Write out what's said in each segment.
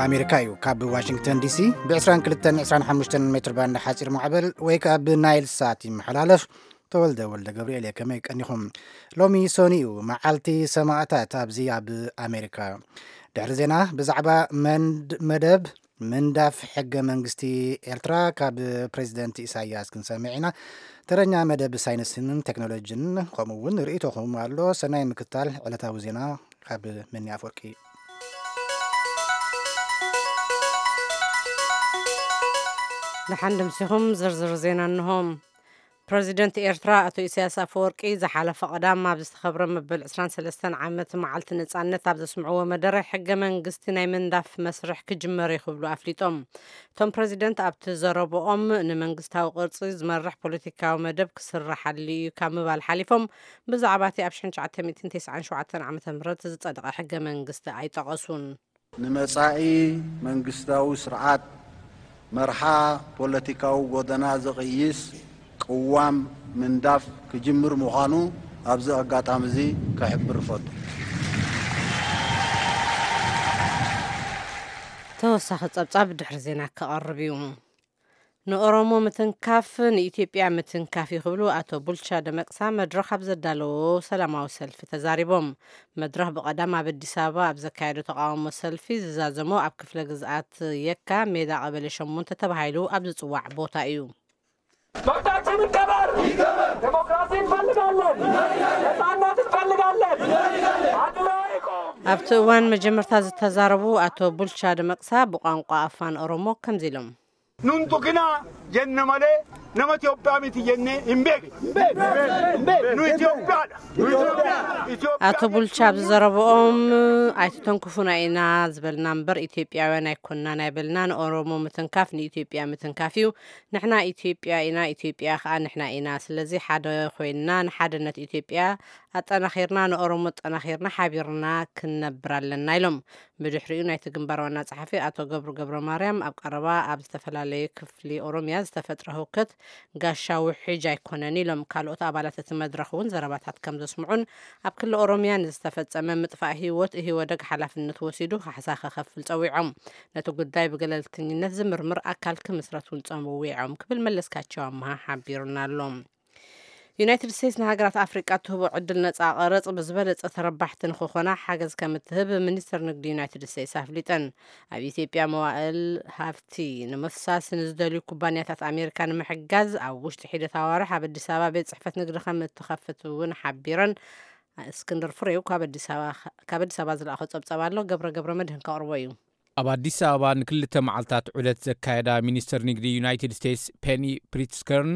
ኣሜሪካ እዩ። ካብ ዋሽንግተን ዲሲ ብ22 25 ሜትር ባንድ ሓፂር ማዕበል ወይ ከዓ ብናይል ሳት ይመሓላለፍ። ተወልደ ወልደ ገብርኤል እየ። ከመይ ቀኒኹም? ሎሚ ሰኑይ እዩ፣ መዓልቲ ሰማእታት ኣብዚ ኣብ ኣሜሪካ። ድሕሪ ዜና ብዛዕባ መንድ-፣ መደብ ምንዳፍ ሕገ መንግስቲ ኤርትራ ካብ ፕሬዚደንት ኢሳያስ ክንሰምዕ ኢና። ተረኛ መደብ ሳይንስን ቴክኖሎጂን ከምኡ እውን ርእይቶኹም ኣሎ። ሰናይ ምክታል። ዕለታዊ ዜና ካብ መኒ ኣፈወርቂ። ደሓን ድምሲኹም። ዝርዝር ዜና እንሆ። ፕረዚደንት ኤርትራ ኣቶ ኢሳያስ ኣፈወርቂ ዝሓለፈ ቀዳም ኣብ ዝተኸብረ መበል ዕስራን ሰለስተን ዓመት መዓልቲ ነጻነት ኣብ ዘስምዕዎ መደረ፣ ሕገ መንግስቲ ናይ ምንዳፍ መስርሕ ክጅመር እዩ ክብሉ ኣፍሊጦም። እቶም ፕረዚደንት ኣብቲ ዘረብኦም፣ ንመንግስታዊ ቅርጺ ዝመርሕ ፖለቲካዊ መደብ ክስራሓሉ እዩ ካብ ምባል ሓሊፎም፣ ብዛዕባ እቲ ኣብ ሽሕን ትሽዓተ ሚእትን ተስዓን ሸውዓተን ዓመተ ምህረት ዝጸደቐ ሕገ መንግስቲ ኣይጠቐሱን። ንመጻኢ መንግስታዊ ስርዓት መርሓ ፖለቲካዊ ጎደና ዝቕይስ ቅዋም ምንዳፍ ክጅምር ምዃኑ ኣብዚ ኣጋጣሚ እዚ ክሕብር እፈቱ። ተወሳኺ ጸብጻብ ድሕሪ ዜና ክቐርብ እዩ። ንኦሮሞ ምትንካፍ ንኢትዮጵያ ምትንካፍ እዩ ክብሉ ኣቶ ቡልቻ ደመቅሳ መድረኽ ኣብ ዘዳለዎ ሰላማዊ ሰልፊ ተዛሪቦም። መድረኽ ብቐዳም ኣብ ኣዲስ ኣበባ ኣብ ዘካየዶ ተቃውሞ ሰልፊ ዝዛዘሞ ኣብ ክፍለ ግዝኣት የካ ሜዳ ቀበሌ ሸሞንተ ተባሂሉ ኣብ ዝጽዋዕ ቦታ እዩ። መብታችን ይከበር። ዴሞክራሲ እንፈልጋለን። ነጻነት እንፈልጋለን። አንድ ላይ ቆም። ኣብቲ እዋን መጀመርታ ዝተዛረቡ ኣቶ ቡልቻ ደመቅሳ ብቋንቋ ኣፋን ኦሮሞ ከምዚ ኢሎም። ኑን ቱኪና ጀነ መሌ ነመ ኢትዮጵያ ሚቲ ጀኔ ሂምቤክ። ኑ ኢትዮጵያ። ኣቶ ቡልቻ ኣብ ዝዘረብኦም፣ ኣይትተንክፉና ኢና ዝበልና እምበር ኢትዮጵያውያን ኣይኮንናን ኣይበልና። ንኦሮሞ ምትንካፍ ንኢትዮጵያ ምትንካፍ እዩ። ንሕና ኢትዮጵያ ኢና፣ ኢትዮጵያ ከዓ ንሕና ኢና። ስለዚ ሓደ ኮይንና ንሓድነት ኢትዮጵያ ኣጠናኺርና፣ ንኦሮሞ ኣጠናኺርና ሓቢርና ክንነብር ኣለና ኢሎም። ብድሕሪኡ ናይቲ ግንባር ዋና ጸሓፊ ኣቶ ገብሩ ገብረ ማርያም ኣብ ቀረባ ኣብ ዝተፈላለዩ ክፍሊ ኦሮሚያ ዝተፈጥረ ህውከት ጋሻ ውሕጅ ኣይኮነን ኢሎም። ካልኦት ኣባላት እቲ መድረኽ እውን ዘረባታት ከም ዘስምዑን ኣብ ክሊ ኦሮሚያ ንዝተፈጸመ ምጥፋእ ህይወት ኢህወደግ ሓላፍነት ወሲዱ ካሕሳ ከኸፍል ጸዊዖም። ነቲ ጉዳይ ብገለልተኝነት ዝምርምር ኣካል ክምስረት እውን ጸዊዖም ክብል መለስካቸው ኣምሃ ሓቢሩና ኣሎ። ዩናይትድ ስቴትስ ንሃገራት ኣፍሪቃ እትህቦ ዕድል ነጻ ቀረጽ ብዝበለጸ ተረባሕቲ ንክኾና ሓገዝ ከም እትህብ ሚኒስትር ንግዲ ዩናይትድ ስቴትስ ኣፍሊጠን። ኣብ ኢትዮጵያ መዋእል ሃፍቲ ንምፍሳስ ንዝደልዩ ኩባንያታት ኣሜሪካ ንምሕጋዝ ኣብ ውሽጢ ሒደት ኣዋርሕ ኣብ ኣዲስ ኣበባ ቤት ጽሕፈት ንግዲ ከም እትኸፍት እውን ሓቢረን። እስክንድር ፍሬው ካብ ኣዲስ ኣበባ፣ ካብ ኣዲስ ኣበባ ዝለኣኾ ጸብጸብ ኣሎ፣ ገብረ ገብረ መድህን ከቕርቦ እዩ። ኣብ ኣዲስ ኣበባ ንክልተ መዓልታት ዑደት ዘካየዳ ሚኒስትር ንግዲ ዩናይትድ ስቴትስ ፔኒ ፕሪትስከርን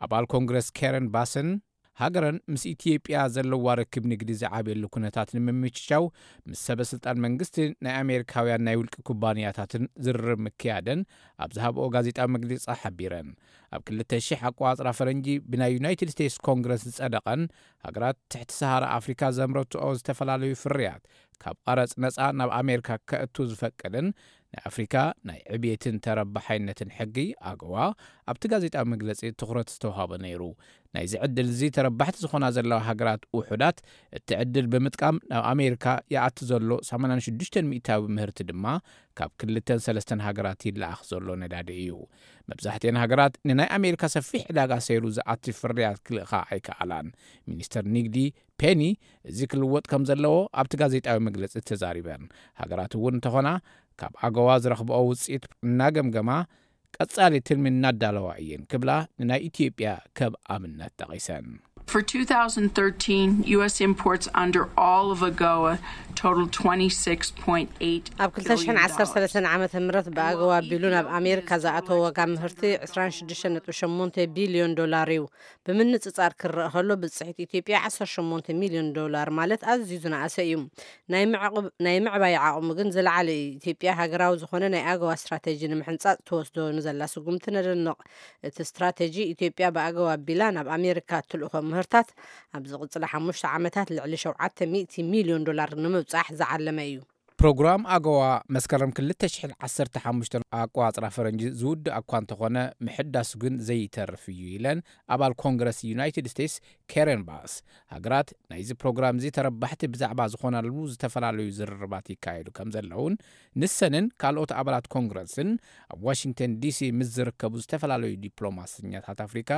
ኣባል ኮንግረስ ካረን ባስን፣ ሃገረን ምስ ኢትዮጵያ ዘለዋ ርክብ ንግዲ ዝዓብየሉ ኩነታት ንምምችቻው ምስ ሰበ ስልጣን መንግስቲ ናይ ኣሜሪካውያን ናይ ውልቂ ኩባንያታትን ዝርርብ ምክያደን ኣብ ዝሃብኦ ጋዜጣዊ መግለጺ ሓቢረን። ኣብ ክልተ ሺሕ ኣቆጻጽራ ፈረንጂ ብናይ ዩናይትድ ስቴትስ ኮንግረስ ዝጸደቐን ሃገራት ትሕቲ ሰሃራ ኣፍሪካ ዘምረትኦ ዝተፈላለዩ ፍርያት ካብ ቀረጽ ነጻ ናብ ኣሜሪካ ከእቱ ዝፈቅድን ናይ ኣፍሪካ ናይ ዕብየትን ተረባሓይነትን ሕጊ ኣገዋ ኣብቲ ጋዜጣዊ መግለጺ ትኹረት ዝተዋሃቦ ነይሩ። ናይዚ ዕድል እዚ ተረባሕቲ ዝኾና ዘለዋ ሃገራት ውሑዳት፣ እቲ ዕድል ብምጥቃም ናብ ኣሜሪካ ይኣቲ ዘሎ ሰማንያን ሽዱሽተን ሚእታዊ ምህርቲ ድማ ካብ ክልተን ሰለስተን ሃገራት ይለኣኽ ዘሎ ነዳዲ እዩ። መብዛሕትኤን ሃገራት ንናይ ኣሜሪካ ሰፊሕ ዕዳጋ ሰይሩ ዝኣቲ ፍርያት ክልእኻ ኣይከኣላን። ሚኒስተር ንግዲ ፔኒ እዚ ክልወጥ ከም ዘለዎ ኣብቲ ጋዜጣዊ መግለጺ ተዛሪበን። ሃገራት እውን እንተኾና ካብ ኣገዋ ዝረኽብኦ ውፅኢት እናገምገማ ቀጻሊ ትልሚ እናዳለዋ እየን ክብላ ንናይ ኢትዮጵያ ከም ኣብነት ጠቒሰን። For two thousand thirteen, U S imports under all of agoa totaled twenty-six point eight ኣብ ክልተ ሽሕን ዓሰርተ ሰለስተን ዓመተ ምህረት ብኣገዋ ኣቢሉ ናብ ኣሜሪካ ዝኣተወ ዋጋ ምህርቲ ዕስራን ሽዱሽተን ነጥቢ ሸሞንተ ቢልዮን ዶላር እዩ። ብምንጽጻር ክረአ ከሎ፣ ብጽሒት ኢትዮጵያ ዓሰርተ ሸሞንተ ሚልዮን ዶላር፣ ማለት ኣዝዩ ዝነኣሰ እዩ። ናይ ምዕቕብ-፣ ናይ ምዕባይ ዓቕሙ ግን ዝለዓለ እዩ። ኢትዮጵያ ሃገራዊ ዝኾነ ናይ ኣገዋ ስትራቴጂ ንምሕንጻጽ ትወስዶ ንዘላ ስጉምቲ ነደንቕ። እቲ ስትራቴጂ፣ ኢትዮጵያ ብኣገዋ ኣቢላ ናብ ኣሜሪካ እትልእኾ ምህርታት፣ ኣብ ዝቕጽላ ሓሙሽተ ዓመታት ልዕሊ ሸውዓተ ሚእቲ ሚልዮን ዶላር ንምብጻሕ ዝዓለመ እዩ። ፕሮግራም ኣጎዋ መስከረም ክልተ ሽሕን ዓሰርተ ሓሙሽተን ኣቆጻጽራ ፈረንጂ ዝውድእ እኳ እንተኾነ፣ ምሕዳሱ ግን ዘይተርፍ እዩ ኢለን ኣባል ኮንግረስ ዩናይትድ ስቴትስ ኬረን ባስ። ሃገራት ናይዚ ፕሮግራም እዚ ተረባሕቲ ብዛዕባ ዝኾናሉ ዝተፈላለዩ ዝርርባት ይካየዱ ከም ዘለውን፣ ንሰንን ካልኦት ኣባላት ኮንግረስን ኣብ ዋሽንግተን ዲሲ ምስ ዝርከቡ ዝተፈላለዩ ዲፕሎማሰኛታት ኣፍሪካ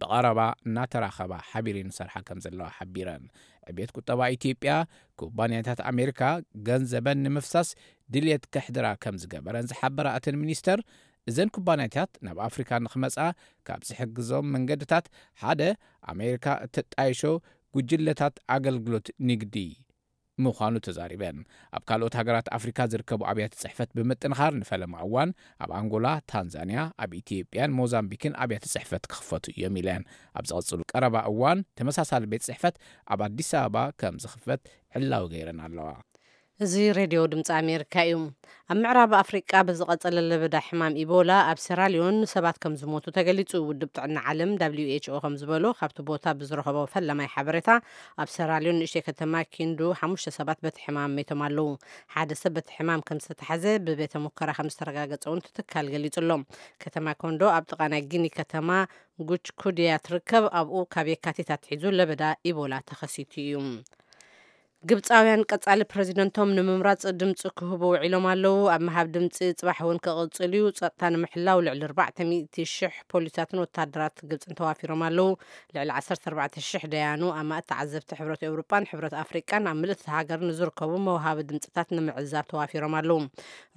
ብቐረባ እናተራኸባ ሓቢረን ይሰርሓ ከም ዘለዋ ሓቢረን። ዕብየት ቁጠባ ኢትዮጵያ፣ ኩባንያታት ኣሜሪካ ገንዘበን ንምፍሳስ ድልየት ከሕድራ ከም ዝገበረን ዝሓበራ እተን ሚኒስተር፣ እዘን ኩባንያታት ናብ ኣፍሪካ ንክመጻ ካብ ዝሕግዞም መንገድታት ሓደ ኣሜሪካ እተጣይሾ ጉጅለታት ኣገልግሎት ንግዲ ምዃኑ ተዛሪበን። ኣብ ካልኦት ሃገራት ኣፍሪካ ዝርከቡ ኣብያተ ጽሕፈት ብምጥንኻር ንፈለማ እዋን ኣብ ኣንጎላ፣ ታንዛንያ፣ ኣብ ኢትዮጵያን ሞዛምቢክን ኣብያተ ጽሕፈት ክኽፈቱ እዮም ኢለን። ኣብ ዝቐጽሉ ቀረባ እዋን ተመሳሳሊ ቤት ጽሕፈት ኣብ ኣዲስ ኣበባ ከም ዝኽፈት ዕላዊ ገይረን ኣለዋ። እዚ ሬድዮ ድምፂ ኣሜሪካ እዩ። ኣብ ምዕራብ ኣፍሪቃ ብዝቐጸለ ለበዳ ሕማም ኢቦላ ኣብ ሴራሊዮን ሰባት ከም ዝሞቱ ተገሊጹ። ውድብ ጥዕና ዓለም ደብሊው ኤች ኦ ከም ዝበሎ፣ ካብቲ ቦታ ብዝረኸቦ ፈለማይ ሓበሬታ፣ ኣብ ሴራሊዮን ንእሽተይ ከተማ ኪንዱ ሓሙሽተ ሰባት በቲ ሕማም መይቶም ኣለዉ። ሓደ ሰብ በቲ ሕማም ከም ዝተታሕዘ ብቤተ ሙከራ ከም ዝተረጋገጸ እውን እቲ ትካል ገሊጹ ኣሎ። ከተማ ኮንዶ ኣብ ጥቓ ናይ ጊኒ ከተማ ጉች ኩድያ ትርከብ። ኣብኡ ካብ የካቲት ኣትሒዙ ለበዳ ኢቦላ ተኸሲቱ እዩ። ግብጻውያን ቀጻሊ ፕረዚደንቶም ንምምራጽ ድምጺ ክህቡ ውዒሎም ኣለዉ። ኣብ ምሃብ ድምጺ ጽባሕ እውን ክቕጽል እዩ። ጸጥታ ንምሕላው ልዕሊ ኣርባዕተ ሚእቲ ሽሕ ፖሊሳትን ወታደራት ግብጽን ተዋፊሮም ኣለዉ። ልዕሊ ዓሰርተ ኣርባዕተ ሽሕ ደያኑ ኣማእት ተዓዘብቲ ሕብረት ኤውሮጳን ሕብረት ኣፍሪቃን ኣብ ምልእቲ ሃገር ንዝርከቡ መውሃቢ ድምጽታት ንምዕዛብ ተዋፊሮም ኣለዉ።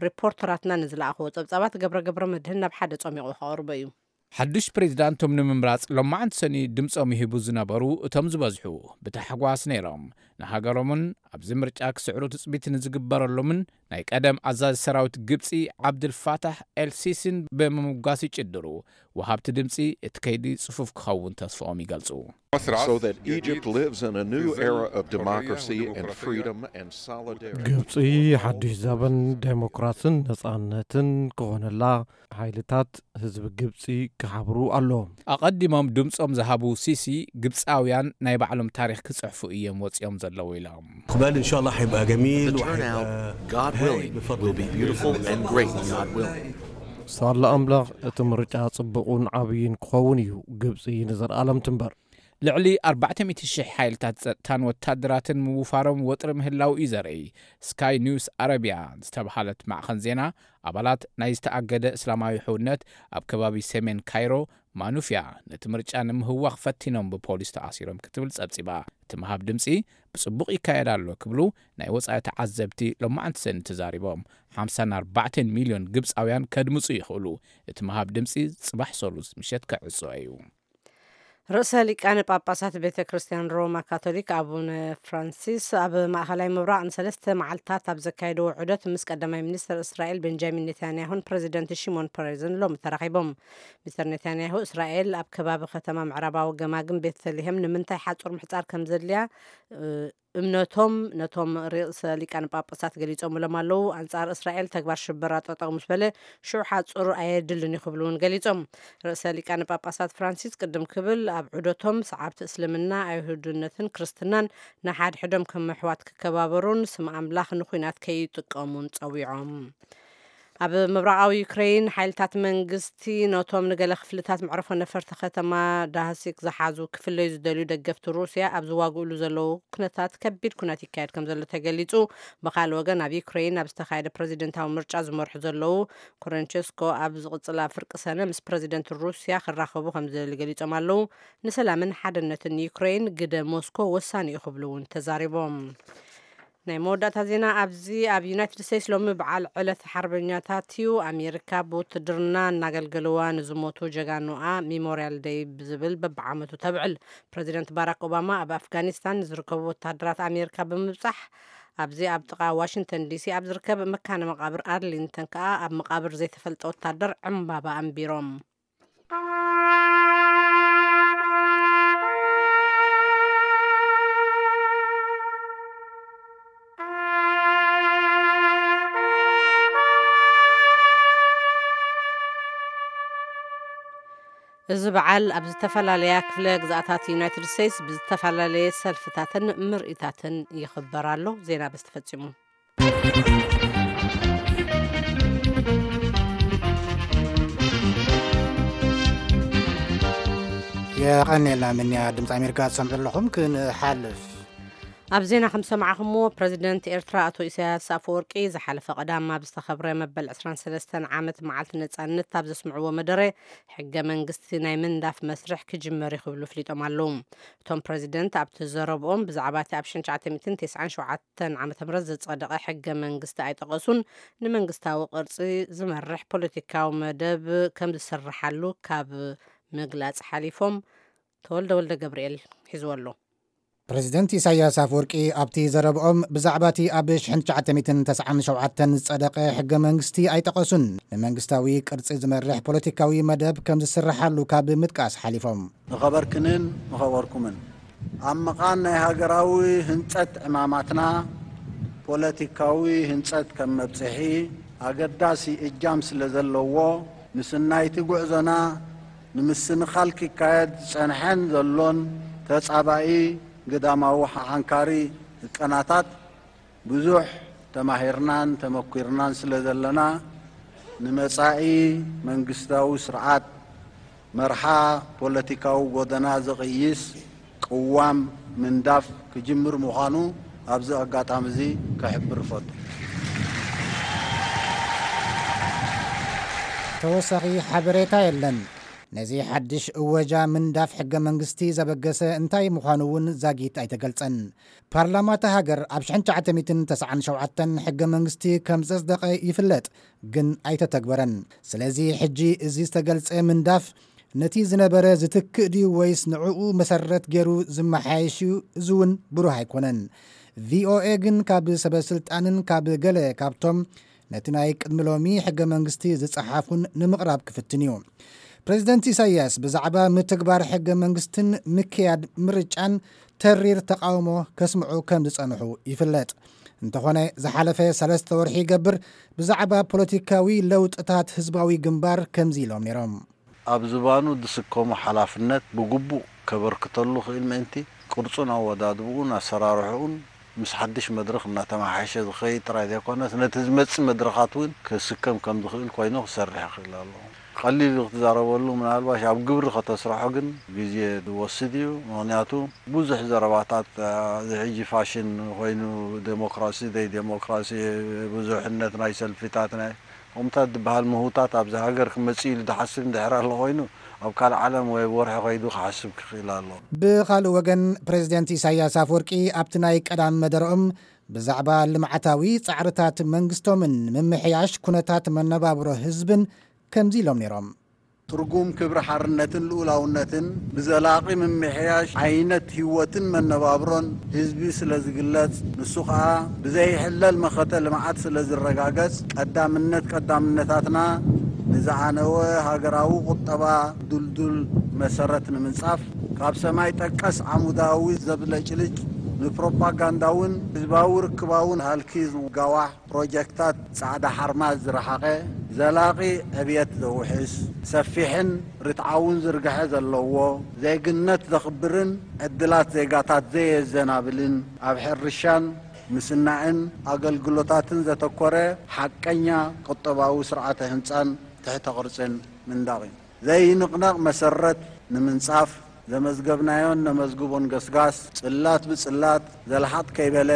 ሪፖርተራትና ንዝለኣኽዎ ጸብጻባት ገብረ ገብረ መድህን ናብ ሓደ ጸሚቑ ከቕርቦ እዩ። ሓዱሽ ፕሬዚዳንቶም ንምምራጽ ሎማዓንቲ ሰኒ ድምጾም ይህቡ ዝነበሩ እቶም ዝበዝሑ ብታሕጓስ ነይሮም። ንሃገሮምን ኣብዚ ምርጫ ክስዕሩ ትጽቢት ንዝግበረሎምን ናይ ቀደም ኣዛዚ ሰራዊት ግብጺ ዓብድልፋታሕ ኤልሲሲን ብምምጓስ ይጭድሩ። ወሃብቲ ድምጺ እቲ ከይዲ ጽፉፍ ክኸውን ተስፋኦም ይገልጹ። So that Egypt lives in a new era of democracy and freedom and solidarity. ግብጺ ሓድሽ ዘበን ዴሞክራስን ነጻነትን ክኾነላ ሓይልታት ህዝቢ ግብጺ ክሓብሩ ኣለዎም። ኣቐዲሞም ድምጾም ዝሃቡ ሲሲ፣ ግብጻውያን ናይ ባዕሎም ታሪኽ ክጽሕፉ እዮም ወጺኦም ዘለዉ ኢሎም። اقبال ان شاء الله حيبقى جميل. The turnout, وحيبقى God هايل willing, بفضل will be الله. Beautiful and great, God willing. ሳላ ኣምላኽ እቲ ምርጫ ጽቡቕን ዓብይን ክኸውን እዩ። ግብጺ ንዘለኣለም ትንበር። ልዕሊ ኣርባዕተ ሚእቲ ሽሕ ሓይልታት ጸጥታን ወታደራትን ምውፋሮም ወጥሪ ምህላው እዩ ዘርኢ። ስካይ ኒውስ ኣረቢያ ዝተብሃለት ማዕኸን ዜና፣ ኣባላት ናይ ዝተኣገደ እስላማዊ ሕውነት ኣብ ከባቢ ሰሜን ካይሮ ማኑፍያ ነቲ ምርጫ ንምህዋኽ ፈቲኖም ብፖሊስ ተኣሲሮም ክትብል ጸብጺባ። እቲ ምሃብ ድምጺ ብጽቡቕ ይካየድ ኣሎ ክብሉ ናይ ወጻኢ ተዓዘብቲ ሎማዓንቲ ሰኒ ተዛሪቦም። ሓምሳን ኣርባዕተን ሚልዮን ግብጻውያን ከድምጹ ይኽእሉ። እቲ ምሃብ ድምጺ ጽባሕ ሰሉስ ምሸት ክዕጾ እዩ። ርእሰ ሊቃነ ጳጳሳት ቤተ ክርስቲያን ሮማ ካቶሊክ ኣቡነ ፍራንሲስ ኣብ ማእኸላይ ምብራቕ ንሰለስተ መዓልታት ኣብ ዘካየድዎ ዑደት ምስ ቀዳማይ ሚኒስትር እስራኤል ቤንጃሚን ኔታንያሁን ፕረዚደንት ሽሞን ፐሬዝን ሎሚ ተራኺቦም። ሚስተር ኔታንያሁ እስራኤል ኣብ ከባቢ ከተማ ምዕራባዊ ገማግም ቤተልሔም ንምንታይ ሓጹር ምሕጻር ከም ዘድልያ፣ እ፣ እምነቶም ነቶም ርእሰ ሊቃነ ጳጳሳት ገሊጾምሎም ኣለዉ። ኣንጻር እስራኤል ተግባር ሽበራ ጠጠው ምስ በለ ሽዑ ሓጹር ኣየድልን እዩ ክብሉ እውን ገሊጾም። ርእሰ ሊቃነ ጳጳሳት ፍራንሲስ ቅድም ክብል ኣብ ዑደቶም ሰዓብቲ እስልምና ኣይሁድነትን ክርስትናን ንሓድሕዶም ከም ኣሕዋት ክከባበሩን ስም ኣምላኽ ንኹናት ከይጥቀሙን ጸዊዖም። ኣብ ምብራቓዊ ዩክሬን ሓይልታት መንግስቲ ነቶም ንገለ ክፍልታት መዕርፎ ነፈርቲ ከተማ ዳህሲክ ዝሓዙ ክፍለዩ ዝደልዩ ደገፍቲ ሩስያ ኣብ ዝዋግእሉ ዘለዉ ኩነታት ከቢድ ኩነት ይካየድ ከም ዘሎ ተገሊጹ። ብኻልእ ወገን ኣብ ዩክሬን ኣብ ዝተኻየደ ፕረዚደንታዊ ምርጫ ዝመርሑ ዘለዉ ኮረንቸስኮ ኣብ ዝቕጽላ ፍርቂ ሰነ ምስ ፕረዚደንት ሩስያ ክራኸቡ ከም ዝደልዩ ገሊጾም ኣለዉ። ንሰላምን ሓድነትን ዩክሬን ግደ ሞስኮ ወሳኒ እዩ ክብሉ እውን ተዛሪቦም። ናይ መወዳእታ ዜና ኣብዚ ኣብ ዩናይትድ ስቴትስ ሎሚ በዓል ዕለት ሓርበኛታት እዩ። ኣሜሪካ ብውትድርና እናገልገለዋ ንዝሞቱ ጀጋኑኣ ሚሞሪያል ደይ ብዝብል በብዓመቱ ተብዕል። ፕረዚደንት ባራክ ኦባማ ኣብ ኣፍጋኒስታን ንዝርከቡ ወታደራት ኣሜሪካ ብምብጻሕ ኣብዚ ኣብ ጥቓ ዋሽንግተን ዲሲ ኣብ ዝርከብ መካነ መቓብር ኣርሊንግተን ከኣ ኣብ መቓብር ዘይተፈልጠ ወታደር ዕምባባ ኣንቢሮም። እዚ በዓል ኣብ ዝተፈላለያ ክፍለ ግዝኣታት ዩናይትድ ስቴትስ ብዝተፈላለየ ሰልፍታትን ምርኢታትን ይኽበር ኣሎ። ዜና በዚ ተፈጺሙ። የቐንየልና ምንያ። ድምፂ ኣሜሪካ ትሰምዑ ኣለኹም። ክንሓልፍ ኣብ ዜና ከም ዝሰማዕኹምዎ፣ ፕረዚደንት ኤርትራ ኣቶ ኢሳያስ ኣፈወርቂ ዝሓለፈ ቀዳም ኣብ ዝተኸብረ መበል ዕስራን ሰለስተን ዓመት መዓልቲ ነጻነት ኣብ ዘስምዕዎ መደረ፣ ሕገ መንግስቲ ናይ ምንዳፍ መስርሕ ክጅመር እዩ ክብሉ ኣፍሊጦም ኣለዉ። እቶም ፕረዚደንት ኣብቲ ዘረብኦም ብዛዕባ እቲ ኣብ ሽሕን ትሽዓተ ሚእትን ተስዓን ሸውዓተን ዓመተ ምህረት ዝጸደቐ ሕገ መንግስቲ ኣይጠቐሱን። ንመንግስታዊ ቅርጺ ዝመርሕ ፖለቲካዊ መደብ ከም ዝስርሓሉ ካብ ምግላጽ ሓሊፎም፣ ተወልደ ወልደ ገብርኤል ሒዝዎ ኣሎ። ፕረዚደንት ኢሳያስ ኣፈወርቂ ኣብቲ ዘረብኦም ብዛዕባ እቲ ኣብ ሽሕን ትሽዓተ ሚእትን ተስዓን ሸውዓተን ዝጸደቐ ሕገ መንግስቲ ኣይጠቐሱን። ንመንግስታዊ ቅርጺ ዝመርሕ ፖለቲካዊ መደብ ከም ዝስርሓሉ ካብ ምጥቃስ ሓሊፎም፣ ንኸበርክንን ንኸበርኩምን ኣብ መቓን ናይ ሃገራዊ ህንጸት ዕማማትና ፖለቲካዊ ህንጸት ከም መብጽሒ ኣገዳሲ እጃም ስለ ዘለዎ፣ ምስናይቲ ጉዕዞና ንምስንኻል ክካየድ ዝጸንሐን ዘሎን ተጻባኢ ግዳማዊ ሓሓንካሪ ህቀናታት ብዙሕ ተማሂርናን ተመኲርናን ስለ ዘለና፣ ንመጻኢ መንግስታዊ ስርዓት መርሓ ፖለቲካዊ ጎደና ዝቕይስ ቅዋም ምንዳፍ ክጅምር ምዃኑ ኣብዚ ኣጋጣሚ እዚ ክሕብር እፈቱ። ተወሳኺ ሓበሬታ የለን። ነዚ ሓድሽ እወጃ ምንዳፍ ሕገ መንግስቲ ዘበገሰ እንታይ ምዃኑ እውን ዛጊት ኣይተገልጸን። ፓርላማ እታ ሃገር ኣብ ሽሕን ትሽዓተ ሚእትን ተስዓን ሸውዓተን ሕገ መንግስቲ ከም ዘጽደቐ ይፍለጥ፣ ግን ኣይተተግበረን። ስለዚ ሕጂ እዚ ዝተገልጸ ምንዳፍ ነቲ ዝነበረ ዝትክእ ድዩ ወይስ ንዕኡ መሰረት ገይሩ ዝመሓየሽ እዩ? እዚ እውን ብሩህ ኣይኮነን። ቪኦኤ ግን ካብ ሰበ ስልጣንን ካብ ገለ ካብቶም ነቲ ናይ ቅድሚ ሎሚ ሕገ መንግስቲ ዝጸሓፉን ንምቕራብ ክፍትን እዩ። ፕሬዚደንት ኢሳያስ ብዛዕባ ምትግባር ሕገ መንግስትን ምክያድ ምርጫን ተሪር ተቃውሞ ከስምዑ ከም ዝጸንሑ ይፍለጥ። እንተኾነ ዝሓለፈ ሰለስተ ወርሒ ይገብር ብዛዕባ ፖለቲካዊ ለውጥታት ህዝባዊ ግንባር ከምዚ ኢሎም ነይሮም። ኣብ ዝባኑ ዝስከሞ ሓላፍነት ብግቡእ ከበርክተሉ ክእል ምእንቲ፣ ቅርጹን ኣወዳድብኡን ኣሰራርሕኡን ምስ ሓድሽ መድረኽ እናተመሓየሸ ዝኸይድ ጥራይ ዘይኮነስ፣ ነቲ ዝመጽእ መድረኻት እውን ክስከም ከም ዝኽእል ኮይኑ ክሰርሕ ይኽእል ኣሎ። ቀሊል እዩ ክትዛረበሉ፣ ምናልባሽ ኣብ ግብሪ ከተስርሖ ግን ግዜ ዝወስድ እዩ። ምኽንያቱ ብዙሕ ዘረባታት፣ እዚ ሕጂ ፋሽን ኮይኑ፣ ዴሞክራሲ፣ ዘይዴሞክራሲ፣ ብዙሕነት ናይ ሰልፊታት፣ ናይ ከምታት ዝበሃል ምህውታት ኣብዚ ሃገር ክመጽእ ኢሉ ዝሓስብ እንድሕር ኣሎ ኮይኑ፣ ኣብ ካልእ ዓለም ወይ ኣብ ወርሒ ከይዱ ክሓስብ ክኽእል ኣሎ። ብኻልእ ወገን፣ ፕሬዚደንት ኢሳያስ ኣፈወርቂ ኣብቲ ናይ ቀዳም መደረኦም ብዛዕባ ልምዓታዊ ጻዕርታት መንግስቶምን ምምሕያሽ ኩነታት መነባብሮ ህዝብን ከምዚ ኢሎም ነይሮም። ትርጉም ክብሪ ሓርነትን ልኡላውነትን ብዘላቒ ምምሕያሽ ዓይነት ህይወትን መነባብሮን ህዝቢ ስለ ዝግለጽ፣ ንሱ ኸኣ ብዘይሕለል መኸተ ልምዓት ስለ ዝረጋገጽ፣ ቀዳምነት ቀዳምነታትና ንዝዓነወ ሃገራዊ ቁጠባ ድልዱል መሰረት ንምንጻፍ፣ ካብ ሰማይ ጠቀስ ዓሙዳዊ ዘብለጭልጭ ንፕሮፓጋንዳውን ህዝባዊ ርክባውን ሃልኪ ዝጋዋሕ ፕሮጀክታት ጻዕዳ ሓርማዝ ዝረሓቐ፣ ዘላቒ ዕብየት ዘውሕስ፣ ሰፊሕን ርትዓውን ዝርግሐ ዘለዎ፣ ዜግነት ዘኽብርን ዕድላት ዜጋታት ዘየዘናብልን፣ ኣብ ሕርሻን ምስናዕን ኣገልግሎታትን ዘተኮረ ሓቀኛ ቁጠባዊ ስርዓተ ህንጻን ትሕተ ቅርጽን ምንዳቕ እዩ። ዘይንቕነቕ መሰረት ንምንጻፍ፣ ዘመዝገብናዮን ነመዝግቦን ገስጋስ፣ ጽላት ብጽላት፣ ዘልሓጥ ከይበለ፣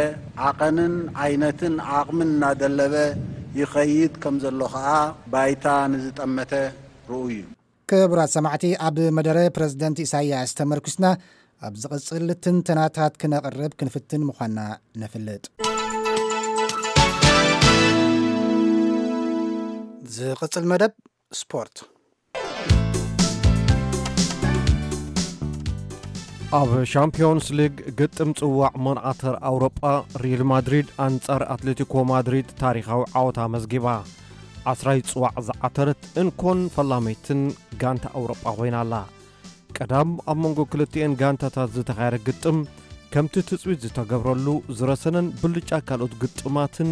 ዓቐንን ዓይነትን ዓቕምን እናደለበ ይኸይድ ከም ዘሎ ኸኣ ባይታ ንዝጠመተ ርኡይ እዩ። ክቡራት ሰማዕቲ፣ ኣብ መደረ ፕረዚደንት ኢሳያስ ተመርኲስና፣ ኣብ ዝቕጽል ትንተናታት ክነቕርብ ክንፍትን ምዃንና ነፍልጥ። ዝቕጽል መደብ ስፖርት። ኣብ ሻምፒዮንስ ሊግ ግጥም ጽዋዕ መርዓተር ኣውሮጳ፣ ሪል ማድሪድ ኣንጻር ኣትሌቲኮ ማድሪድ ታሪኻዊ ዓወታ ኣመዝጊባ። ዓስራይ ጽዋዕ ዝዓተረት እንኮን ፈላመይትን ጋንታ ኣውሮጳ ኮይና ኣላ። ቀዳም ኣብ መንጎ ክልቲኤን ጋንታታት ዝተኻየደ ግጥም፣ ከምቲ ትጽቢት ዝተገብረሉ ዝረሰነን ብልጫ ካልኦት ግጥማትን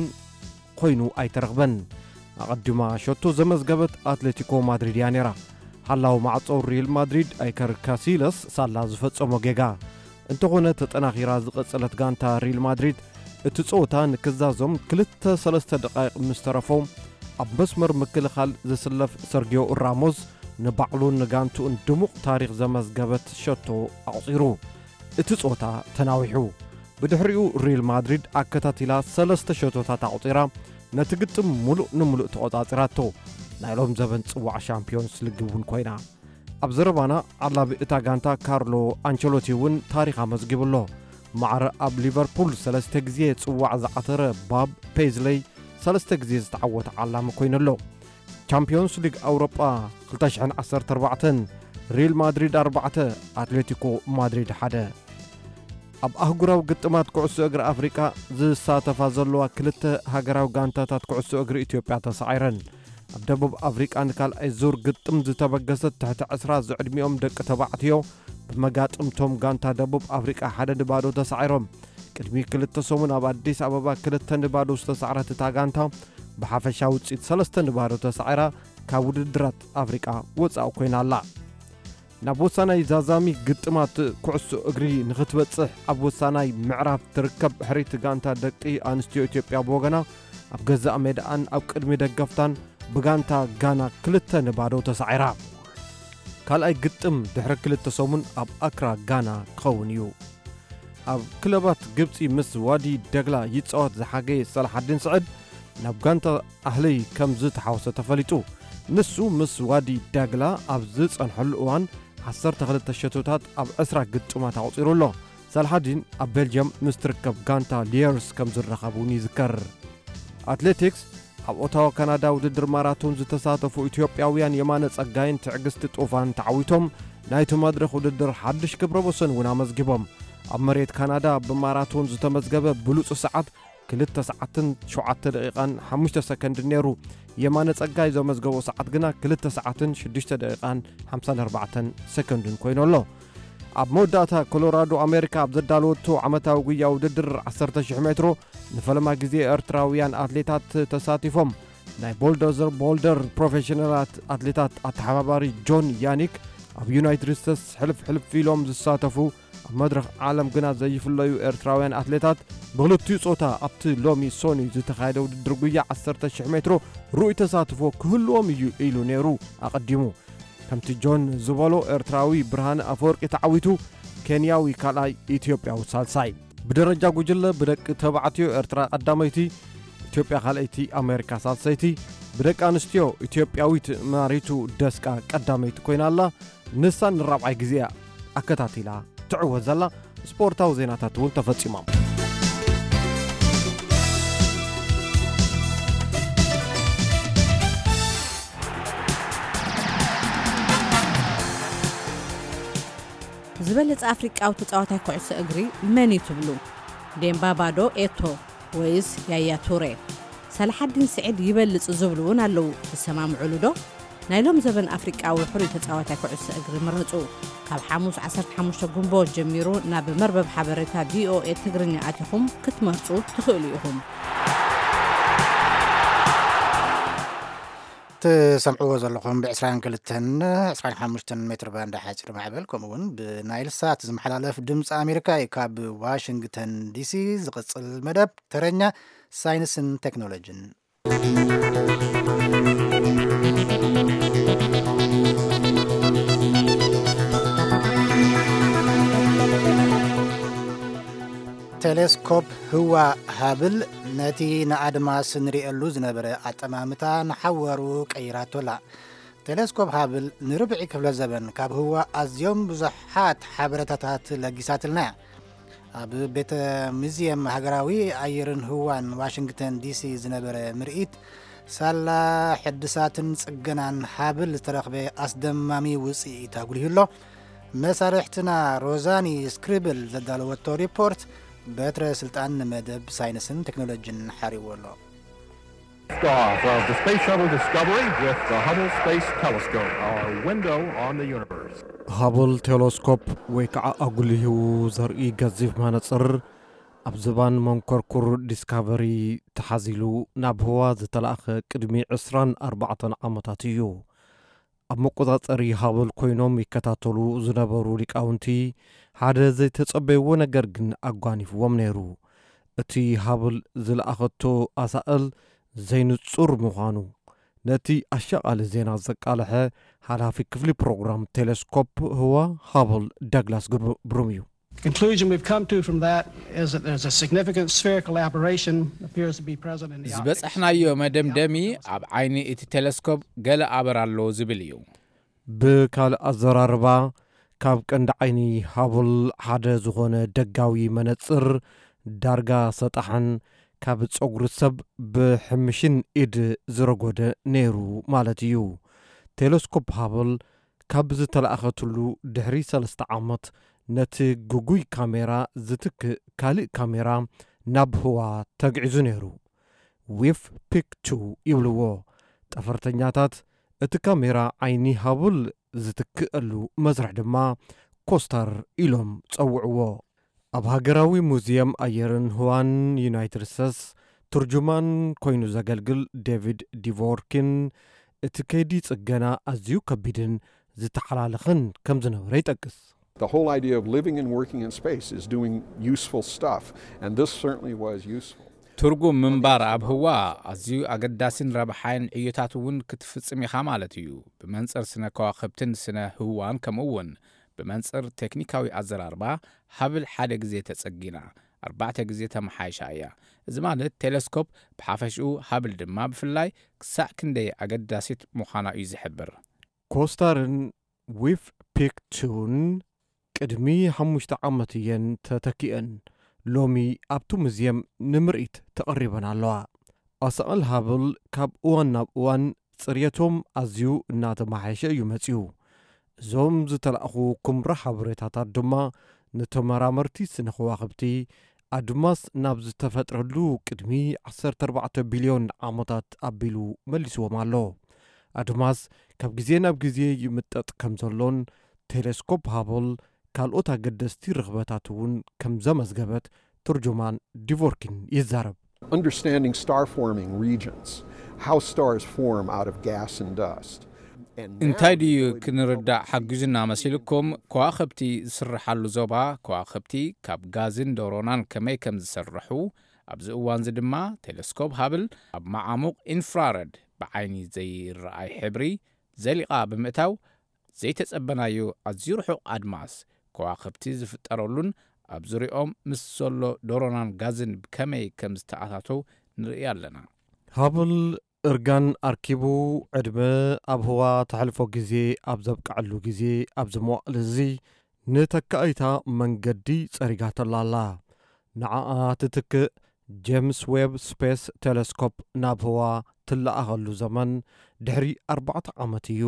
ኮይኑ ኣይተረኽበን። ኣቐዲማ ሸቶ ዘመዝገበት ኣትሌቲኮ ማድሪድ እያ ነይራ። ሓላው ማዕጾ ሪል ማድሪድ ኣይከር ካሲለስ ሳላ ዝፈጸሞ ጌጋ። እንተኾነ ተጠናኺራ ዝቐጸለት ጋንታ ሪል ማድሪድ እቲ ጸወታ ንክዛዞም ክልተ ሰለስተ ደቃይቕ ምስ ተረፎ ኣብ መስመር ምክልኻል ዝስለፍ ሰርጊዮ ራሞስ ንባዕሉን ንጋንትኡን ድሙቕ ታሪኽ ዘመዝገበት ሸቶ ኣቑጺሩ። እቲ ጾታ ተናዊሑ። ብድሕሪኡ ሪል ማድሪድ ኣከታቲላ ሰለስተ ሸቶታት ኣቑጺራ ነቲ ግጥም ሙሉእ ንሙሉእ ተቖጻጺራቶ። ናይ ሎም ዘበን ጽዋዕ ሻምፒዮንስ ሊግ እውን ኮይና። ኣብ ዘረባና ዓላቢ እታ ጋንታ ካርሎ ኣንቸሎቲ እውን ታሪኽ ኣመዝጊቡ ኣሎ። ማዕረ ኣብ ሊቨርፑል ሰለስተ ግዜ ጽዋዕ ዝዓተረ ባብ ፔዝለይ ሰለስተ ግዜ ዝተዓወተ ዓላሚ ኮይኑ ኣሎ። ቻምፒዮንስ ሊግ ኣውሮጳ ክልተ ሽሕን ዓሰርተ ኣርባዕተን፣ ሪል ማድሪድ ኣርባዕተ፣ ኣትሌቲኮ ማድሪድ ሓደ። ኣብ ኣህጉራዊ ግጥማት ኩዕሶ እግሪ ኣፍሪቃ ዝሳተፋ ዘለዋ ክልተ ሃገራዊ ጋንታታት ኩዕሶ እግሪ ኢትዮጵያ ተሳዒረን። ኣብ ደቡብ ኣፍሪቃ ንካልኣይ ዙር ግጥም ዝተበገሰት ትሕቲ ዕስራ ዝዕድሚኦም ደቂ ተባዕትዮ ብመጋጥምቶም ጋንታ ደቡብ ኣፍሪቃ ሓደ ንባዶ ተሳዒሮም። ቅድሚ ክልተ ሰሙን ኣብ ኣዲስ ኣበባ ክልተ ንባዶ ዝተሳዕረት እታ ጋንታ ብሓፈሻ ውፅኢት ሰለስተ ንባዶ ተሳዒራ ካብ ውድድራት ኣፍሪቃ ወፃኢ ኮይና ኣላ። ናብ ወሳናይ ዛዛሚ ግጥማት ኩዕሶ እግሪ ንኽትበጽሕ ኣብ ወሳናይ ምዕራፍ ትርከብ ሕሪት ጋንታ ደቂ ኣንስትዮ ኢትዮጵያ ብወገና ኣብ ገዛእ ሜዳኣን ኣብ ቅድሚ ደገፍታን ብጋንታ ጋና ክልተ ንባዶ ተሳዒራ። ካልኣይ ግጥም ድሕሪ ክልተ ሰሙን ኣብ ኣክራ ጋና ክኸውን እዩ። ኣብ ክለባት ግብጺ ምስ ዋዲ ደግላ ይጻወት ዝሓገየ ሰላሓዲን ስዕድ ናብ ጋንታ ኣህሊ ከም ዝተሓወሰ ተፈሊጡ። ንሱ ምስ ዋዲ ደግላ ኣብ ዝጸንሐሉ እዋን ዓሰርተ ክልተ ሸቶታት ኣብ ዕስራ ግጥማት ኣቑጺሩ ኣሎ። ሰላሓዲን ኣብ ቤልጅየም ምስ ትርከብ ጋንታ ሊየርስ ከም ዝራኸብ እውን ይዝከር። ኣትሌቲክስ ኣብ ኦታዋ ካናዳ ውድድር ማራቶን ዝተሳተፉ ኢትዮጵያውያን የማነ ጸጋይን ትዕግስቲ ጡፋን ተዓዊቶም ናይቲ መድረኽ ውድድር ሓድሽ ክብረ ወሰን እውን ኣመዝጊቦም። ኣብ መሬት ካናዳ ብማራቶን ዝተመዝገበ ብሉጽ ሰዓት ክልተ ሰዓትን ሸውዓተ ደቂቓን ሓሙሽተ ሰከንድን ነይሩ። የማነ ጸጋይ ዘመዝገቦ ሰዓት ግና ክልተ ሰዓትን ሽዱሽተ ደቂቓን ሓምሳን ኣርባዕተን ሰከንድን ኮይኑ ኣሎ። ኣብ መወዳእታ ኮሎራዶ ኣሜሪካ ኣብ ዘዳለወቶ ዓመታዊ ጉያ ውድድር ዓሰርተ ሽሕ ሜትሮ ንፈለማ ግዜ ኤርትራውያን ኣትሌታት ተሳቲፎም። ናይ ቦልዶዘር ቦልደር ፕሮፌሽናላት ኣትሌታት ኣተሓባባሪ ጆን ያኒክ ኣብ ዩናይትድ ስቴትስ ሕልፍ ሕልፍ ኢሎም ዝሳተፉ ኣብ መድረኽ ዓለም ግና ዘይፍለዩ ኤርትራውያን ኣትሌታት ብክልቲኡ ጾታ ኣብቲ ሎሚ ሶኒ ዝተኻየደ ውድድር ጉያ ዓሰርተ ሽሕ ሜትሮ ርኡይ ተሳትፎ ክህልዎም እዩ ኢሉ ነይሩ ኣቐዲሙ። ከምቲ ጆን ዝበሎ ኤርትራዊ ብርሃነ ኣፈወርቂ ተዓዊቱ፣ ኬንያዊ ካልኣይ፣ ኢትዮጵያዊ ሳልሳይ። ብደረጃ ጉጅለ ብደቂ ተባዕትዮ ኤርትራ ቀዳመይቲ፣ ኢትዮጵያ ካልኣይቲ፣ ኣሜሪካ ሳልሰይቲ። ብደቂ ኣንስትዮ ኢትዮጵያዊት ማሪቱ ደስቃ ቀዳመይቲ ኮይና ኣላ። ንሳ ንራብዓይ ግዜ እያ ኣከታቲላ ትዕወት ዘላ። ስፖርታዊ ዜናታት እውን ተፈጺሞም። ዝበለጸ ኣፍሪቃዊ ተጻዋታይ ኩዕሶ እግሪ መን እዩ ትብሉ? ዴምባባ ዶ ኤቶ ወይስ ያያ ቱሬ? ሰላሓዲን ስዒድ ይበልጽ ዝብሉ እውን ኣለዉ። ትሰማምዑሉ ዶ? ናይ ሎም ዘበን ኣፍሪቃዊ ሕሩይ ተጻዋታይ ኩዕሶ እግሪ ምረጹ። ካብ ሓሙስ ዓሰርተ ሓሙሽተ ጉንቦት ጀሚሩ ናብ መርበብ ሓበሬታ ቪኦኤ ትግርኛ ኣቲኹም ክትመርጹ ትኽእሉ ኢኹም። ትሰምዕዎ ዘለኹም ብ22 ሜትር ባንድ ሓፂር ማዕበል ከምኡ እውን ብናይል ሳት ዝመሓላለፍ ድምፂ ኣሜሪካ እዩ። ካብ ዋሽንግተን ዲሲ ዝቕፅል መደብ ተረኛ ሳይንስን ቴክኖሎጂን። ቴሌስኮፕ ህዋ ሃብል ነቲ ንኣድማስ ንርእየሉ ዝነበረ ኣጠማምታ ንሓዋሩ ቀይራቶ ኣላ። ቴሌስኮፕ ሃብል ንርብዒ ክፍለ ዘበን ካብ ህዋ ኣዝዮም ብዙሓት ሓበሬታታት ለጊሳትልና እያ። ኣብ ቤተ ሙዚየም ሃገራዊ ኣየርን ህዋን ዋሽንግተን ዲሲ ዝነበረ ምርኢት፣ ሳላ ሕድሳትን ጽገናን ሃብል ዝተረኽበ ኣስደማሚ ውጽኢት ኣጉሊሁ ኣሎ። መሳርሕትና ሮዛኒ ስክሪብል ዘዳለወቶ ሪፖርት፣ በትረ ስልጣን ንመደብ ሳይንስን ቴክኖሎጂን ሓሪዎ ኣሎ። Off of the Space Shuttle Discovery with the Hubble Space Telescope, our window on the universe. ሃብል ቴሌስኮፕ ወይ ከዓ ኣጉሊሁ ዘርኢ ገዚፍ መነጽር ኣብ ዝባን መንኮርኩር ዲስካቨሪ ተሓዚሉ ናብ ህዋ ዝተላእኸ ቅድሚ ዕስራን ኣርባዕተን ዓመታት እዩ። ኣብ መቆጻጸሪ ሃብል ኮይኖም ይከታተሉ ዝነበሩ ሊቃውንቲ ሓደ ዘይተጸበይዎ ነገር ግን ኣጓኒፍዎም ነይሩ። እቲ ሃብል ዝለኣኸቶ ኣሳእል ዘይንጹር ምዃኑ፣ ነቲ ኣሻቓሊ ዜና ዘቃልሐ ሓላፊ ክፍሊ ፕሮግራም ቴሌስኮፕ ህዋ ሃብል ዳግላስ ግብሩም እዩ። The conclusion we've come to from that is that there's a significant spherical aberration appears to be present in the optics. ዝበጻሕናዮ መደምደሚ ኣብ ዓይኒ እቲ ቴሌስኮፕ ገለ ኣበር ኣሎ ዝብል እዩ። ብካልእ ኣዘራርባ፣ ካብ ቀንዲ ዓይኒ ሃብል ሓደ ዝኾነ ደጋዊ መነጽር ዳርጋ ሰጣሕን ካብ ጸጉሪ ሰብ ብሕምሽን ኢድ ዝረጎደ ነይሩ ማለት እዩ። ቴሌስኮፕ ሃብል ካብ ዝተላእኸትሉ ድሕሪ ሰለስተ ዓመት፣ ነቲ ግጉይ ካሜራ ዝትክእ ካልእ ካሜራ ናብ ህዋ ተግዒዙ ነይሩ። ዊፍ ፒክ ቱ ይብልዎ ጠፈርተኛታት። እቲ ካሜራ ዓይኒ ሃብል ዝትክእሉ መስርሕ ድማ ኮስታር ኢሎም ጸውዕዎ። ኣብ ሃገራዊ ሙዚየም ኣየርን ህዋን ዩናይትድ ስቴትስ ትርጁማን ኮይኑ ዘገልግል ዴቪድ ዲቮርኪን፣ እቲ ከይዲ ጽገና ኣዝዩ ከቢድን ዝተሓላለኸን ከም ዝነበረ ይጠቅስ። The whole idea of living and working in space is doing useful stuff, and this certainly was useful. ትርጉም ምንባር ኣብ ህዋ ኣዝዩ ኣገዳሲን ረብሓይን ዕዮታት እውን ክትፍጽም ኢኻ ማለት እዩ። ብመንጽር ስነ ከዋኽብትን ስነ ህዋን ከምኡ እውን ብመንጽር ቴክኒካዊ ኣዘራርባ ሃብል ሓደ ግዜ ተጸጊና ኣርባዕተ ግዜ ተመሓይሻ እያ። እዚ ማለት ቴሌስኮፕ ብሓፈሽኡ ሃብል ድማ ብፍላይ ክሳዕ ክንደይ ኣገዳሲት ምዃና እዩ ዝሕብር። ኮስታርን ዊፍ ፒክ ቱን ቅድሚ ሓሙሽተ ዓመት እየን ተተኪአን። ሎሚ ኣብቲ ሙዝየም ንምርኢት ተቐሪበን ኣለዋ። ኣሳእል ሃብል ካብ እዋን ናብ እዋን ጽርየቶም ኣዝዩ እናተመሓየሸ እዩ መጺኡ። እዞም ዝተላእኹ ኩምራ ሓበሬታታት ድማ ንተመራመርቲ ስነ ከዋኽብቲ ኣድማስ ናብ ዝተፈጥረሉ ቅድሚ ዓሰርተ ኣርባዕተ ቢልዮን ዓመታት ኣቢሉ መልስዎም ኣሎ። ኣድማስ ካብ ግዜ ናብ ግዜ ይምጠጥ ከም ዘሎን ቴሌስኮፕ ሃብል ካልኦት ኣገደስቲ ርኽበታት እውን ከም ዘመዝገበት ትርጁማን ዲቮርኪን ይዛረብ። Understanding star forming regions, how stars form out of gas and dust. And now እንታይ ድዩ the ability to ክንርዳእ ሓጊዙና መሲልኩም? ከዋኽብቲ ዝስርሓሉ ዞባ፣ ከዋኽብቲ ካብ ጋዝን ዶሮናን ከመይ ከም ዝስርሑ፣ ኣብዚ እዋንዚ ድማ ቴሌስኮፕ ሃብል ኣብ መዓሙቕ ኢንፍራረድ ብዓይኒ ዘይረኣይ ሕብሪ ዘሊቓ ብምእታው፣ ዘይተጸበናዮ ኣዝዩ ርሑቕ ኣድማስ ከዋኽብቲ ዝፍጠረሉን ኣብ ዙሪኦም ምስ ዘሎ ዶሮናን ጋዝን ብከመይ ከም ዝተኣታተው ንርኢ ኣለና። ሃብል እርጋን ኣርኪቡ ዕድመ ኣብ ህዋ ተሕልፎ ግዜ ኣብ ዘብቅዐሉ ግዜ፣ ኣብዚ መዋእል እዚ ንተካኢታ መንገዲ ጸሪጋተላ ኣላ። ንዓኣ ትትክእ ጄምስ ዌብ ስፔስ ቴሌስኮፕ ናብ ህዋ ትለኣኸሉ ዘመን ድሕሪ ኣርባዕተ ዓመት እዩ።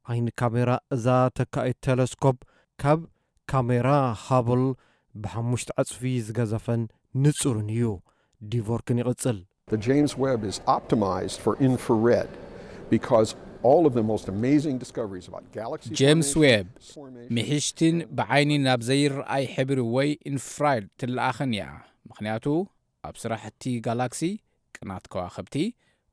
ዓይኒ ካሜራ እዛ ተካኢት ቴሌስኮፕ ካብ ካሜራ ሃብል ብሓሙሽተ ዕጽፊ ዝገዘፈን ንጹርን እዩ። ዲቮርክን ይቕጽል። The James Webb is optimized for infrared because all of the most amazing discoveries about galaxy ጄምስ formation, ዌብ formation, ምሕሽትን ብዓይኒ ናብ ዘይረኣይ ሕብሪ ወይ ኢንፍራይድ ትለኣኽን እያ። ምኽንያቱ ኣብ ስራሕቲ ጋላክሲ፣ ቅናት ከዋኽብቲ፣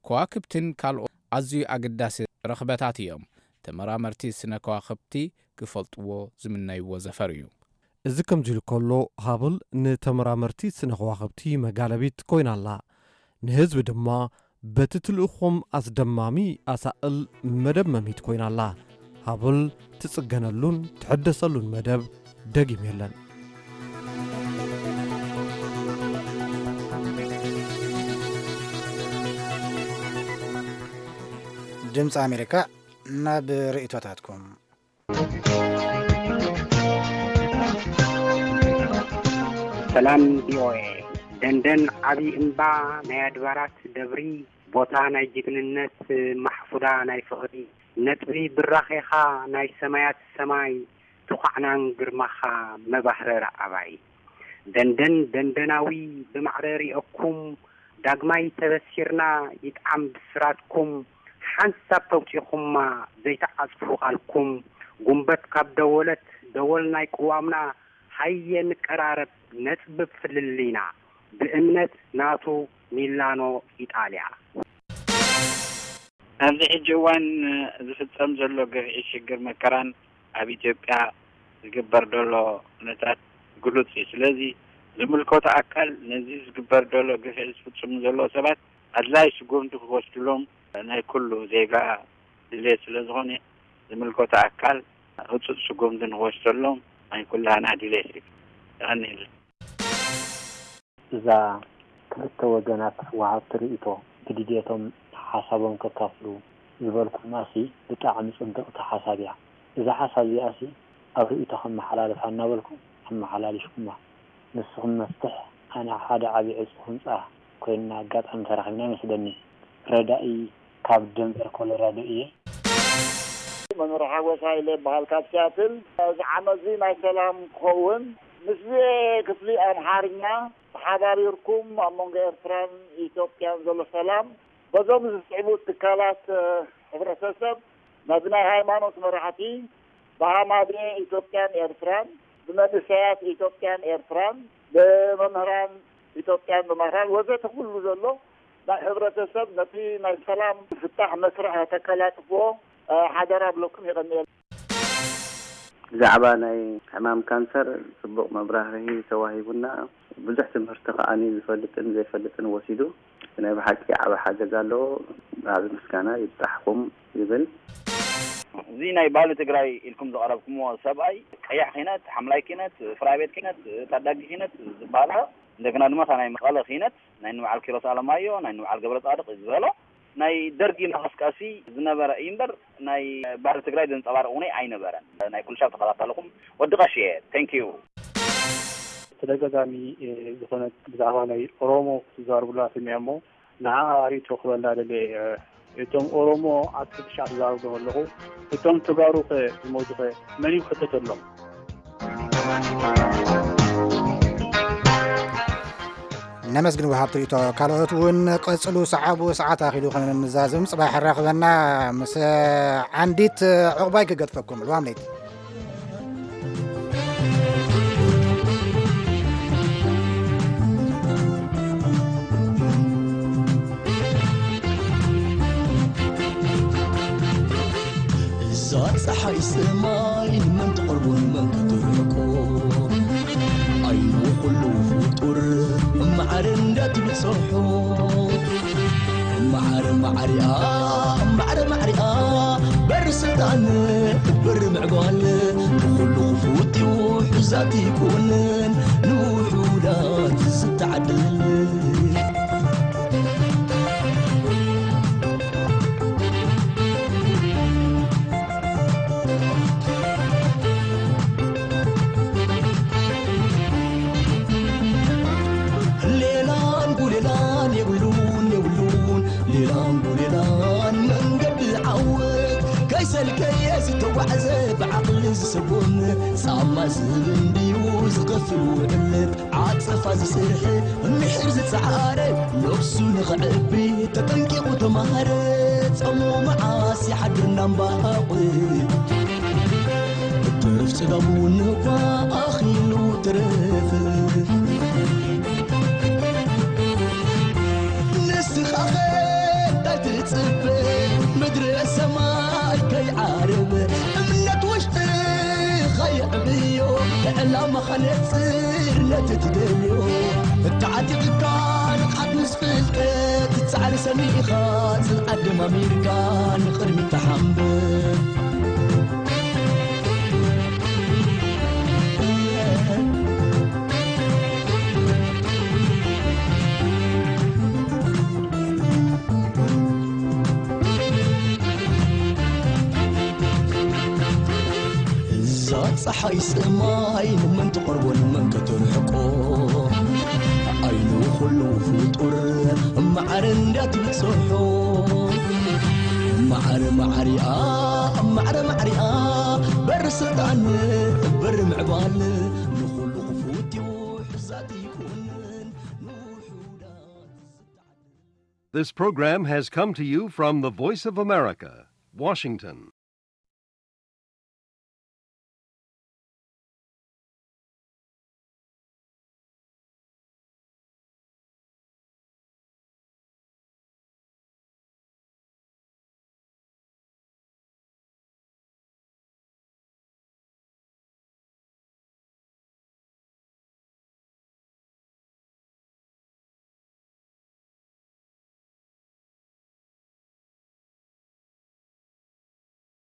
ከዋክብትን ካልኦት ኣዝዩ ኣገዳሲ ረኽበታት እዮም። ተመራመርቲ ስነ ከዋኽብቲ ክፈልጥዎ ዝምነይዎ ዘፈር እዩ። እዚ ከምዚ ኢሉ ከሎ፣ ሃብል ንተመራመርቲ ስነ ከዋኽብቲ መጋለቢት ኮይና ኣላ። ንህዝቢ ድማ በቲ ትልእኾም ኣስደማሚ ኣሳእል መደመሚት ኮይና ኣላ። ሃብል ትጽገነሉን ትሕደሰሉን መደብ ደጊም የለን። ድምፂ ኣሜሪካ፣ ናብ ርእይቶታትኩም። ሰላም ቪኦኤ። ደንደን ዓብዪ እምባ ናይ ኣድባራት ደብሪ፣ ቦታ ናይ ጅግንነት ማሕፉዳ ናይ ፍቕሪ፣ ነጥቢ ብራኼኻ ናይ ሰማያት ሰማይ፣ ትኳዕናን ግርማኻ መባህረር ኣባይ። ደንደን ደንደናዊ ብማዕረ ሪኦኩም፣ ዳግማይ ተበሲርና ይጥዓም ብስራትኩም፣ ሓንሳብ ተውፂኹማ ዘይትዓፅፉ ቃልኩም፣ ጉንበት ካብ ደወለት ደወል ናይ ቅዋምና፣ ሃየ ንቀራረብ ነፅብብ ፍልልይና፣ ብእምነት ናቶ ሚላኖ ኢጣልያ። ኣብዚ ሕጂ እዋን ዝፍጸም ዘሎ ግፍዒ ሽግር መከራን ኣብ ኢትዮጵያ ዝግበር ዘሎ ኩነታት ግሉጽ እዩ። ስለዚ ዝምልከቶ ኣካል ነዚ ዝግበር ዘሎ ግፍዒ ዝፍጽሙ ዘለዉ ሰባት ኣድላይ ስጉምቲ ክወስድሎም ናይ ኩሉ ዜጋ ድሌት ስለ ዝኾነ፣ ዝምልከቶ ኣካል ህጹጽ ስጉምቲ ንክወስደሎም ናይ ኩላህና ድሌት እዩ። የቐንየልና። እዛ ክልተ ወገናት ወሃብቲ ርእይቶ ብድሌቶም ሓሳቦም ከካፍሉ ዝበልኩማሲ ብጣዕሚ ጽብቕቲ ሓሳብ እያ። እዛ ሓሳብ እዚኣሲ ኣብ ርእይቶ ከመሓላልፋ እናበልኩም ኣመሓላሊፍኩማ። ንስኹም መፍትሕ፣ ኣነ ሓደ ዓቢ ዕጹ ህንጻ ኮይንና ኣጋጣሚ ተራኺብና ይመስለኒ። ረዳኢ ካብ ደንቨር ኮሎራዶ እየ። መምህር ሓጎስ ሃይለ ይበሃል ካብ ሲያትል። እዚ ዓመት እዚ ናይ ሰላም ክኸውን ምስዚ ክፍሊ ኣምሓርኛ ተሓባቢርኩም ኣብ መንጎ ኤርትራን ኢትዮጵያን ዘሎ ሰላም በዞም ዝስዕቡ ትካላት፣ እ፣ ሕብረተሰብ፣ ነዚ ናይ ሃይማኖት መራሕቲ፣ ብሃማደ ኢትዮጵያን ኤርትራን፣ ብመንእሰያት ኢትዮጵያን ኤርትራን፣ ብመምህራን ኢትዮጵያን ብማራን ወዘተ ኩሉ ዘሎ ናይ ሕብረተሰብ ነቲ ናይ ሰላም ፍታሕ መስርሕ ከተቀላጥፍዎ፣ እ፣ ሓደራ ብለኩም። የቐንየልና። ብዛዕባ ናይ ሕማም ካንሰር ጽቡቕ መብራህርሂ ተዋሂቡና። ብዙሕ ትምህርቲ ከዓኒ ዝፈልጥን ዘይፈልጥን ወሲዱ። ናይ ብሓቂ ዓቢ ሓገዝ ኣለዎ። ዓቢ ምስጋና ይብጻሕኩም ይብል። እዚ ናይ ባህሊ ትግራይ ኢልኩም ዝቐረብኩምዎ ሰብኣይ፣ ቀያሕ ኪነት፣ ሓምላይ ኪነት፣ ፍራይ ቤት ኪነት፣ ታዳጊ ኪነት ዝበሃላ፣ እንደገና ድማ እታ ናይ መቐለ ኪነት፣ ናይ ንበዓል ኪሮስ ኣለማዮ፣ ናይ ንበዓል ገብረ ጻድቕ ዝበሎ፣ ናይ ደርጊ መቐስቀሲ ዝነበረ እዩ እምበር፣ ናይ ባህሊ ትግራይ ዘንጸባርቕ እውን ኣይነበረን። ናይ ኩሉ ሻብ ተኸታተልኹም፣ ወዲ ቀሽ እየ። Thank you። ተደጋጋሚ፣ እ፣ ዝኾነ ብዛዕባ ናይ ኦሮሞ ክትዛረቡላ ሰሚዐ እሞ፣ ንዓኣ ርእይቶ ክበላ ደልየ እየ። እቶም ኦሮሞ ኣብ ትሽዓ ትዛረቡ ኣለኹ። እቶም ተጋሩ ኸ ዝሞቱ ኸ መን እዩ ክሕተተሎም? ነመስግን ወሃብቲ ርእይቶ። ካልኦት እውን ቀጽሉ፣ ሰዓቡ፣ ሰዓት ኣኺሉ ክንዛዘም። ጽባሕ ኣራኽበና ምስ ዓንዲት ዕቑባይ ክገድፈኩም። ልዋም ለይቲ። እዛ ጸሓይ ሰማይ ንመን ትቐርቦ ንመን ከተርሕቆ? ዓይኑ ኩሉ ፍጡር ማዕረ እንዳትብጽሖ። ማዕረ ማዕሪኣ፣ ማዕረ ማዕሪኣ፣ በሪ ስልጣን፣ በሪ ምዕባል፣ ንኹሉ ክፉት እዩ ሕዛት ይኩንን፣ ንውሑዳት ዝተዓደል። ሌላን ጉሌላን የብሉን፣ የብሉን፣ ሌላን ጉሌላን መንገዲ ዓወት። ከይሰልከየ ዝተጓዕዘ ብዓቕሊ ዝሰጎም፣ ጻማ ዝህብ እንድዩ ዝኸፍል ውዕለት። ዓጸፋ ዝስርሐ፣ ምሒር ዝጸዓረ፣ ነብሱ ንኸዕቢ ተጠንቂቑ ተማሃረ። ጸሙ መዓስ ይሓድር እናምባቑ፣ እትርፍ ጽጋቡ ንኳ ኣኺሉ ትረፍ። ንስኻኸ እንታይ ትጽበ? ምድሪ ሰማይ ከይዓርብ፣ እምነት ውሽጥኻ የዕብዮ። ንዕላማኻ ነጽር ነቲ ትደልዮ። ተዓጢቕካ ንቕሓት ምስ ፍልጠት፣ ጻዕሪ ሰኒኻ ጽንዓት ደማሚርካ ንቕድሚት ተሓንብብ። እዛ ጸሓይ ሰማይ ንመን ትቐርቦ ንመን ከተርሕቆ? ዓይኑ ኩሉ ፍጡር ማዕረ እንዳትብጽሖ። ማዕረ ማዕሪኣ፣ ማዕረ ማዕሪኣ፣ በሪ ስልጣን፣ በሪ ምዕባል፣ ንኹሉ ክፉት እዩ ሕዛት ይኩንን ንውሑዳት። This program has come to you from the Voice of America, Washington.